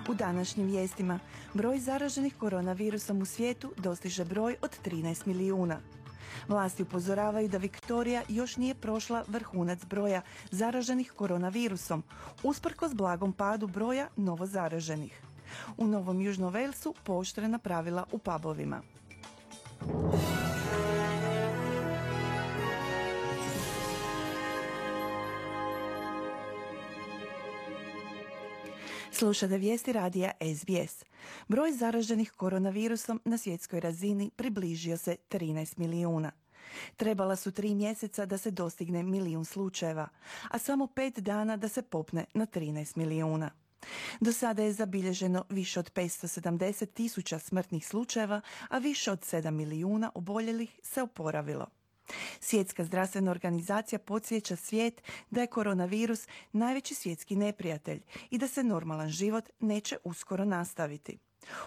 U današnjim vijestima broj zaraženih koronavirusom u svijetu dostiže broj od 13 milijuna. Vlasti upozoravaju da Viktorija još nije prošla vrhunac broja zaraženih koronavirusom, usprkos blagom padu broja novozaraženih. U Novom Južnom Walesu pooštrena pravila u pubovima. Slušate vijesti radija SBS. Broj zaraženih koronavirusom na svjetskoj razini približio se 13 milijuna. Trebala su 3 mjeseca da se dostigne milijun slučajeva, a samo 5 dana da se popne na 13 milijuna. Do sada je zabilježeno više od 570 tisuća smrtnih slučajeva, a više od 7 milijuna oboljelih se oporavilo. Svjetska zdravstvena organizacija podsjeća svijet da je koronavirus najveći svjetski neprijatelj i da se normalan život neće uskoro nastaviti.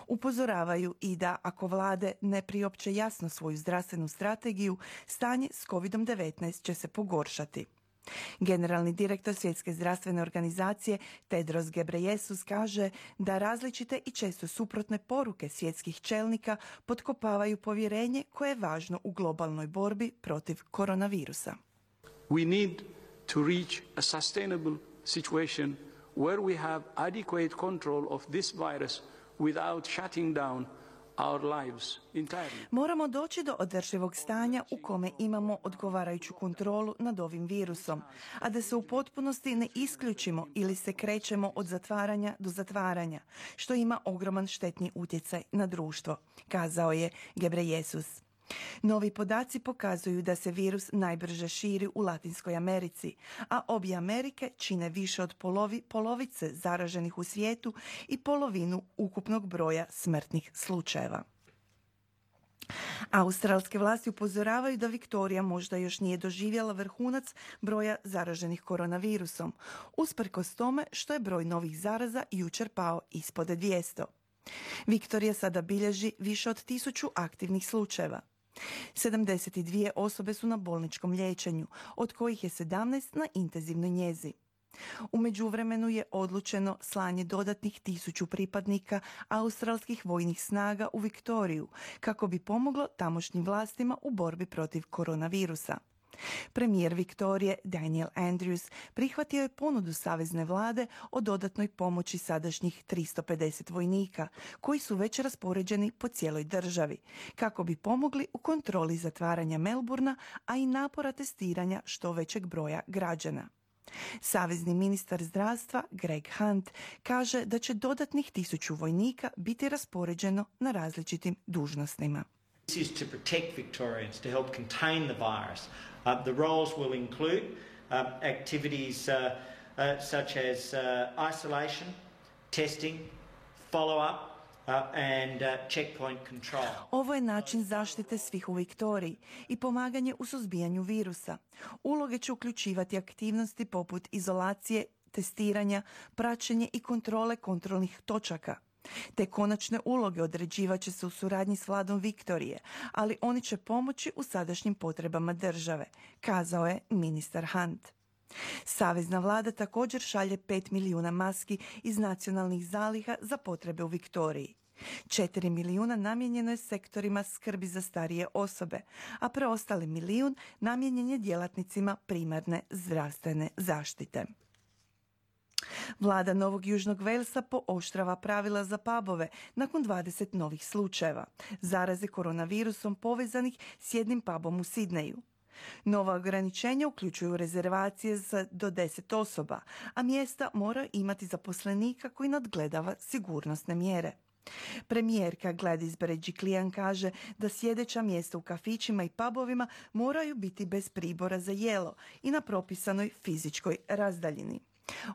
Upozoravaju i da ako vlade ne priopće jasno svoju zdravstvenu strategiju, stanje s COVID-19 će se pogoršati. Generalni direktor Svjetske zdravstvene organizacije Tedros Ghebreyesus kaže da različite i često suprotne poruke svjetskih čelnika potkopavaju povjerenje koje je važno u globalnoj borbi protiv koronavirusa. We need to reach a sustainable situation where we have adequate control of this virus without shutting down our lives entirely. Moramo doći do održivog stanja u kome imamo odgovarajuću kontrolu nad ovim virusom, a da se u potpunosti ne isključimo ili se krećemo od zatvaranja do zatvaranja, što ima ogroman štetni utjecaj na društvo, kazao je Ghebreyesus. Novi podaci pokazuju da se virus najbrže širi u Latinskoj Americi, a obje Amerike čine više od polovice zaraženih u svijetu i polovinu ukupnog broja smrtnih slučajeva. Australske vlasti upozoravaju da Viktorija možda još nije doživjela vrhunac broja zaraženih koronavirusom, usprkos tome što je broj novih zaraza jučer pao ispod 200. Viktorija sada bilježi više od 1000 aktivnih slučajeva. 72 osobe su na bolničkom liječenju, od kojih je 17 na intenzivnoj njezi. U međuvremenu je odlučeno slanje dodatnih 1000 pripadnika australskih vojnih snaga u Viktoriju, kako bi pomoglo tamošnjim vlastima u borbi protiv koronavirusa. Premijer Viktorije Daniel Andrews prihvatio je ponudu savezne vlade o dodatnoj pomoći sadašnjih 350 vojnika, koji su već raspoređeni po cijeloj državi, kako bi pomogli u kontroli zatvaranja Melbourna, a i napora testiranja što većeg broja građana. Savezni ministar zdravstva Greg Hunt kaže da će dodatnih 1000 vojnika biti raspoređeno na različitim dužnostima. This is to protect Victorians, to help contain the virus. The roles will include activities such as isolation, testing, follow-up and checkpoint control. Ovo je način zaštite svih u Viktoriji i pomaganje u suzbijanju virusa. Uloge će uključivati aktivnosti poput izolacije, testiranja, praćenje i kontrole kontrolnih točaka. Te konačne uloge određivat će se u suradnji s vladom Viktorije, ali oni će pomoći u sadašnjim potrebama države, kazao je ministar Hunt. Savezna vlada također šalje 5 milijuna maski iz nacionalnih zaliha za potrebe u Viktoriji. 4 milijuna namijenjeno je sektorima skrbi za starije osobe, a preostali 1 milijun namijenjen je djelatnicima primarne zdravstvene zaštite. Vlada Novog Južnog Walesa pooštrava pravila za pubove nakon 20 novih slučajeva zaraze koronavirusom povezanih s jednim pubom u Sidneju. Nova ograničenja uključuju rezervacije za do 10 osoba, a mjesta moraju imati zaposlenika koji nadgledava sigurnosne mjere. Premijerka Gladys Berejiklian kaže da sjedeća mjesta u kafićima i pubovima moraju biti bez pribora za jelo i na propisanoj fizičkoj razdaljini.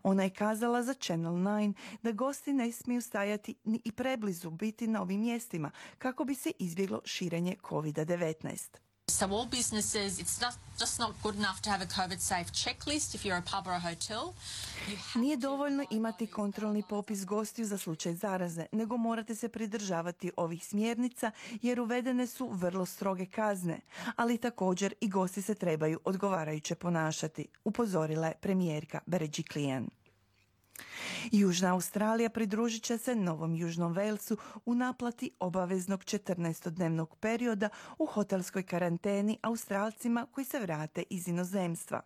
Ona je kazala za Channel 9 da gosti ne smiju stajati ni i preblizu biti na ovim mjestima kako bi se izbjeglo širenje COVID-19. So all businesses, it's just not good enough to have a COVID-safe checklist if you're a pub or a hotel. Nije dovoljno imati kontrolni popis gostiju za slučaj zaraze, nego morate se pridržavati ovih smjernica jer uvedene su vrlo stroge kazne, ali također i gosti se trebaju odgovarajuće ponašati, upozorila je premijerka Berejiklian. Južna Australija pridružit će se Novom Južnom Walesu u naplati obaveznog 14-dnevnog perioda u hotelskoj karanteni Australcima koji se vrate iz inozemstva.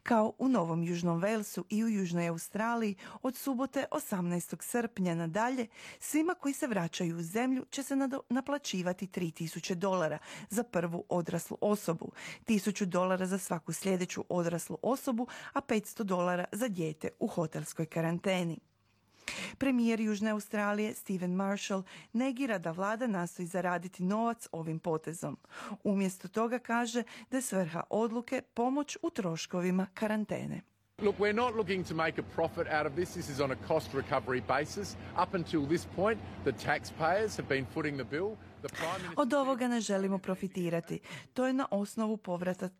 Kao u Novom Južnom Walesu i u Južnoj Australiji, od subote 18. srpnja nadalje, svima koji se vraćaju u zemlju će se naplaćivati $3,000 za prvu odraslu osobu, $1,000 za svaku sljedeću odraslu osobu, a $500 za dijete u hotelskoj karanteni. Premijer Južne Australije Stephen Marshall negira da vlada nastoji zaraditi novac ovim potezom. Umjesto toga kaže da je svrha odluke pomoć u troškovima karantene. Look, we're not looking to make a profit out of this. This is on a cost recovery basis. Up until this point, the taxpayers have been footing the bill. Od ovoga ne želimo profitirati. To je na osnovu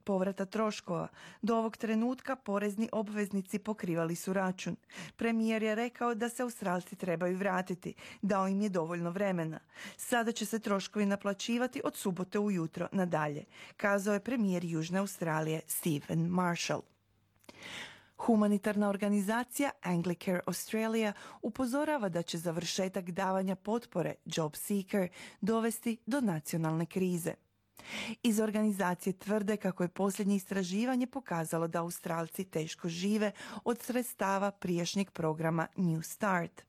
povrata troškova. Do ovog trenutka porezni obveznici pokrivali su račun. Premijer je rekao da se Australci trebaju vratiti. Dao im je dovoljno vremena. Sada će se troškovi naplaćivati od subote ujutro nadalje, kazao je premijer Južne Australije Stephen Marshall. Humanitarna organizacija Anglicare Australia upozorava da će završetak davanja potpore Job Seeker dovesti do nacionalne krize. Iz organizacije tvrde kako je posljednje istraživanje pokazalo da Australci teško žive od sredstava prijašnjeg programa New Start.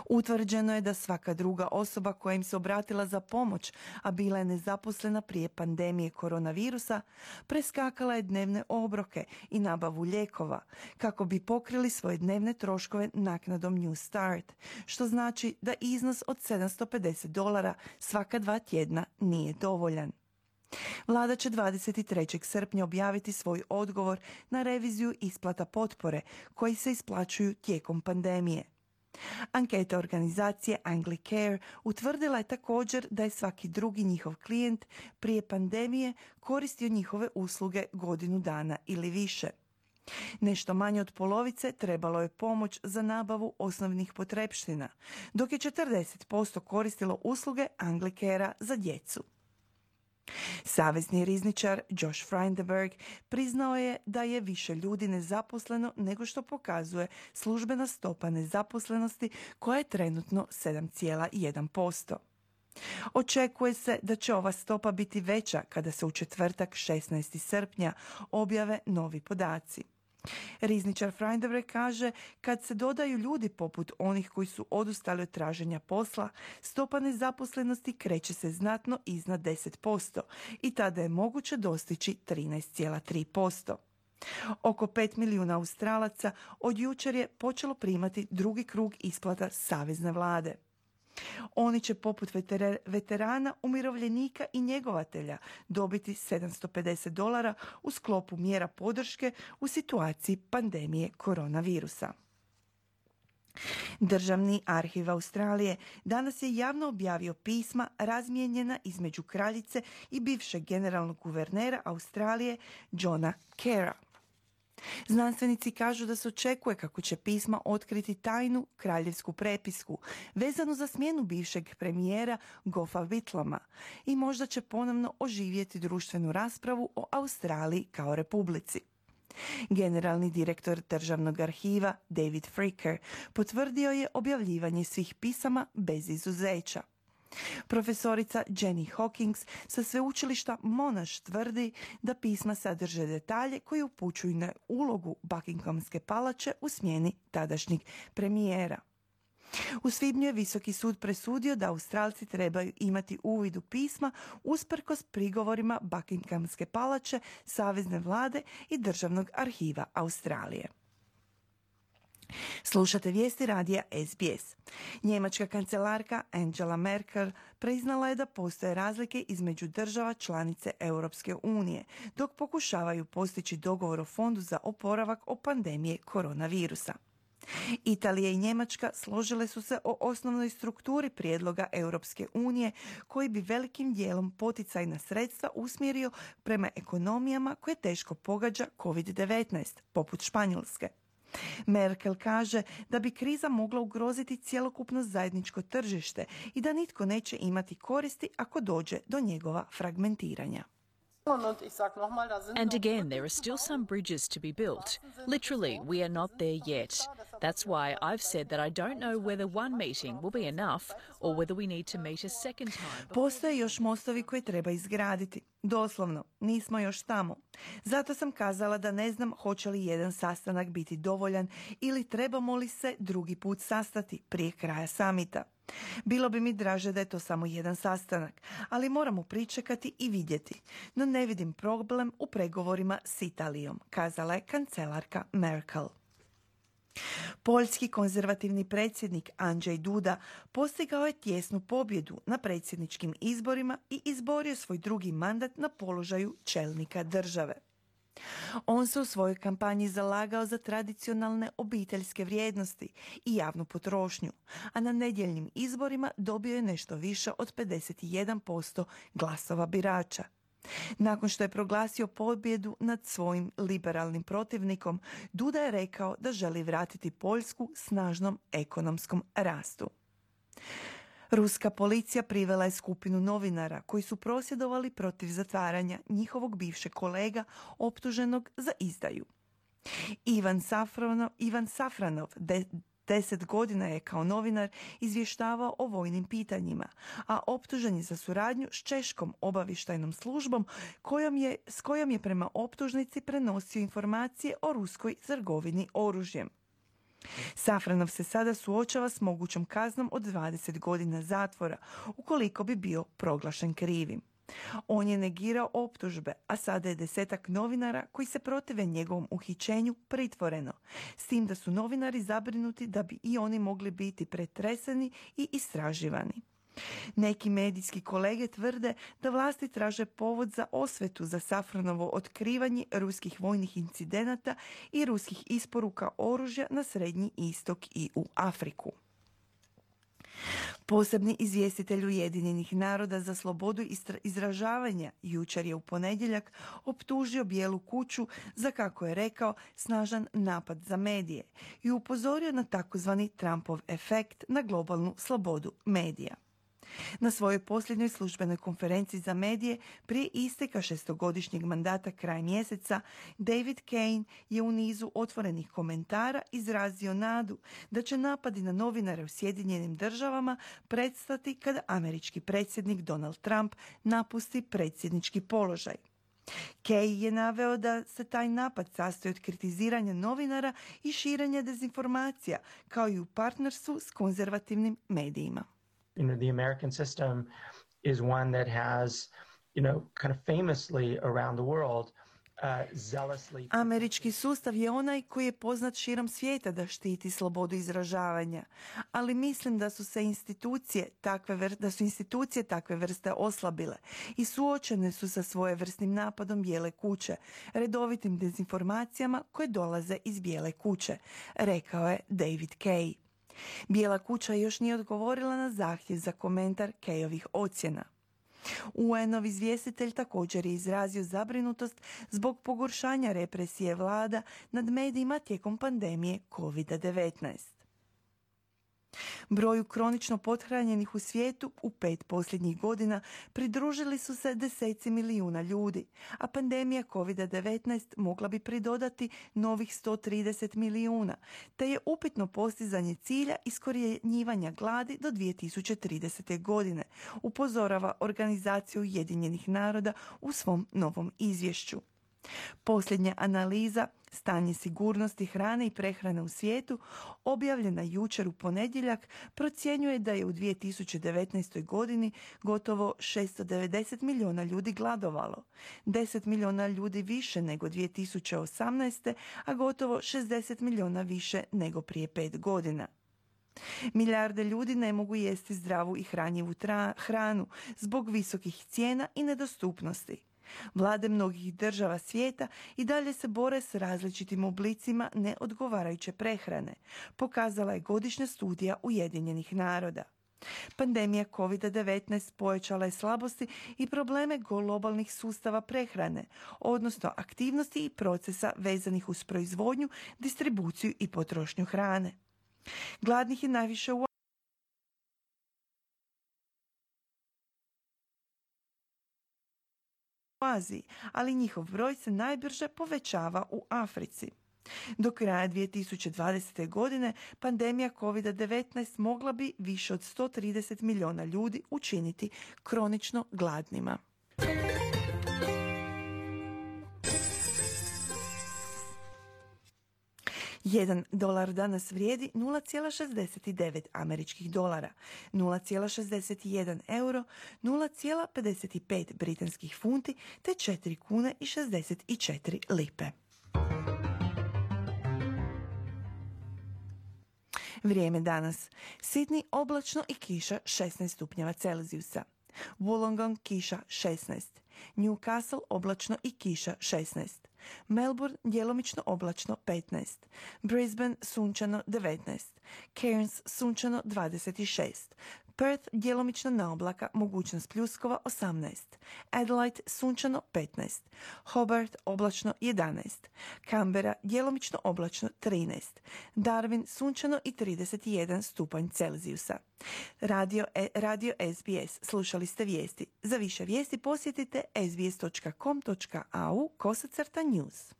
Utvrđeno je da svaka druga osoba koja im se obratila za pomoć, a bila je nezaposlena prije pandemije koronavirusa, preskakala je dnevne obroke i nabavu lijekova kako bi pokrili svoje dnevne troškove naknadom New Start, što znači da iznos od $750 svaka 2 tjedna nije dovoljan. Vlada će 23. srpnja objaviti svoj odgovor na reviziju isplata potpore koji se isplaćuju tijekom pandemije. Anketa organizacije Anglicare utvrdila je također da je svaki drugi njihov klijent prije pandemije koristio njihove usluge godinu dana ili više. Nešto manje od polovice trebalo je pomoć za nabavu osnovnih potrepština, dok je 40% koristilo usluge Anglicarea za djecu. Savezni rizničar Josh Frydenberg priznao je da je više ljudi nezaposleno nego što pokazuje službena stopa nezaposlenosti koja je trenutno 7,1%. Očekuje se da će ova stopa biti veća kada se u četvrtak 16. srpnja objave novi podaci. Rizničar Frydenberg kaže kad se dodaju ljudi poput onih koji su odustali od traženja posla, stopa nezaposlenosti kreće se znatno iznad 10% i tada je moguće dostići 13,3%. Oko 5 milijuna Australaca od jučer je počelo primati drugi krug isplata savezne vlade. Oni će poput veterana, umirovljenika i njegovatelja dobiti $750 u sklopu mjera podrške u situaciji pandemije koronavirusa. Državni arhiv Australije danas je javno objavio pisma razmijenjena između kraljice i bivšeg generalnog guvernera Australije Johna Kera. Znanstvenici kažu da se očekuje kako će pisma otkriti tajnu kraljevsku prepisku vezanu za smjenu bivšeg premijera Goffa Whitlama i možda će ponovno oživjeti društvenu raspravu o Australiji kao republici. Generalni direktor državnog arhiva David Fricker potvrdio je objavljivanje svih pisama bez izuzeća. Profesorica Jenny Hawkins sa sveučilišta Monash tvrdi da pisma sadrže detalje koji upućuju na ulogu Buckinghamske palače u smjeni tadašnjeg premijera. U svibnju je Visoki sud presudio da Australci trebaju imati uvid u pisma usprkos prigovorima Buckinghamske palače, savezne vlade i državnog arhiva Australije. Slušate vijesti radija SBS. Njemačka kancelarka Angela Merkel priznala je da postoje razlike između država članice Europske unije, dok pokušavaju postići dogovor o fondu za oporavak od pandemije koronavirusa. Italija i Njemačka složile su se o osnovnoj strukturi prijedloga Europske unije koji bi velikim dijelom poticajna sredstva usmjerio prema ekonomijama koje teško pogađa COVID-19, poput Španjolske. Merkel kaže da bi kriza mogla ugroziti cjelokupno zajedničko tržište i da nitko neće imati koristi ako dođe do njegova fragmentiranja. And again, there are still some bridges to be built. Literally, we are not there yet. That's why I've said that I don't know whether one meeting will be enough or whether we need to meet a second time. Postoje još mostovi koje treba izgraditi. Doslovno, nismo još tamo. Zato sam kazala da ne znam hoće li jedan sastanak biti dovoljan ili trebamo li se drugi put sastati prije kraja samita. Bilo bi mi draže da je to samo jedan sastanak, ali moramo pričekati i vidjeti. No ne vidim problem u pregovorima s Italijom, kazala je kancelarka Merkel. Poljski konzervativni predsjednik Andrzej Duda postigao je tjesnu pobjedu na predsjedničkim izborima i izborio svoj drugi mandat na položaju čelnika države. On se u svojoj kampanji zalagao za tradicionalne obiteljske vrijednosti i javnu potrošnju, a na nedjeljnim izborima dobio je nešto više od 51% glasova birača. Nakon što je proglasio pobjedu nad svojim liberalnim protivnikom, Duda je rekao da želi vratiti Poljsku snažnom ekonomskom rastu. Ruska policija privela je skupinu novinara koji su prosvjedovali protiv zatvaranja njihovog bivšeg kolega optuženog za izdaju. Ivan Safranov 10 godina je kao novinar izvještavao o vojnim pitanjima, a optužen je za suradnju s češkom obavještajnom službom s kojom je prema optužnici prenosio informacije o ruskoj trgovini oružjem. Safranov se sada suočava s mogućom kaznom od 20 godina zatvora ukoliko bi bio proglašen krivim. On je negirao optužbe, a sada je 10 novinara koji se protive njegovom uhićenju pritvoreno, s tim da su novinari zabrinuti da bi i oni mogli biti pretreseni i istraživani. Neki medijski kolege tvrde da vlasti traže povod za osvetu za Safranovo otkrivanje ruskih vojnih incidenata i ruskih isporuka oružja na Srednji istok i u Afriku. Posebni izvjestitelj Ujedinjenih naroda za slobodu izražavanja jučer je u ponedjeljak optužio Bijelu kuću za, kako je rekao, snažan napad za medije i upozorio na takozvani Trumpov efekt na globalnu slobodu medija. Na svojoj posljednjoj službenoj konferenciji za medije prije isteka 6-godišnjeg mandata kraj mjeseca, David Kane je u nizu otvorenih komentara izrazio nadu da će napadi na novinare u Sjedinjenim državama prestati kada američki predsjednik Donald Trump napusti predsjednički položaj. Kay je naveo da se taj napad sastoji od kritiziranja novinara i širenja dezinformacija, kao i u partnerstvu s konzervativnim medijima. The American system is one that has, kind of famously around the world, zealously... Američki sustav je onaj koji je poznat širom svijeta da štiti slobodu izražavanja, ali mislim da su institucije takve vrste oslabile i suočene su sa svojevrsnim napadom Bijele kuće, redovitim dezinformacijama koje dolaze iz Bijele kuće, rekao je David Kay. Bijela kuća još nije odgovorila na zahtjev za komentar Kayovih ocjena. UN-ov izvjestitelj također je izrazio zabrinutost zbog pogoršanja represije vlada nad medijima tijekom pandemije COVID-19. Broju kronično pothranjenih u svijetu u 5 posljednjih godina pridružili su se deseci milijuna ljudi, a pandemija COVID-19 mogla bi pridodati novih 130 milijuna, te je upitno postizanje cilja iskorjenjivanja gladi do 2030. godine, upozorava Organizacija Ujedinjenih naroda u svom novom izvješću. Posljednja analiza stanje sigurnosti hrane i prehrane u svijetu, objavljena jučer u ponedjeljak, procjenjuje da je u 2019. godini gotovo 690 milijuna ljudi gladovalo, 10 milijuna ljudi više nego 2018. a gotovo 60 milijuna više nego prije 5 godina. Milijarde ljudi ne mogu jesti zdravu i hranjivu hranu zbog visokih cijena i nedostupnosti. Vlade mnogih država svijeta i dalje se bore s različitim oblicima neodgovarajuće prehrane, pokazala je godišnja studija Ujedinjenih naroda. Pandemija COVID-19 pojačala je slabosti i probleme globalnih sustava prehrane, odnosno aktivnosti i procesa vezanih uz proizvodnju, distribuciju i potrošnju hrane. Gladnih je najviše u Aziji, ali njihov broj se najbrže povećava u Africi. Do kraja 2020. godine pandemija COVID-19 mogla bi više od 130 milijuna ljudi učiniti kronično gladnima. $1 danas vrijedi 0,69 američkih dolara, 0,61 euro, 0,55 britanskih funti te 4 kune i 64 lipe. Vrijeme danas. Sydney oblačno i kiša 16 stupnjeva Celzijusa. Wollongong kiša 16. Newcastle oblačno i kiša 16. Melbourne djelomično oblačno 15. Brisbane sunčano 19. Cairns sunčano 26. Perth djelomično na oblaka, mogućnost pljuskova 18. Adelaide sunčano 15. Hobart oblačno 11. Canberra djelomično oblačno 13. Darwin sunčano i 31 stupanj Celzijusa. Radio SBS. Slušali ste vijesti. Za više vijesti posjetite sbs.com.au/news.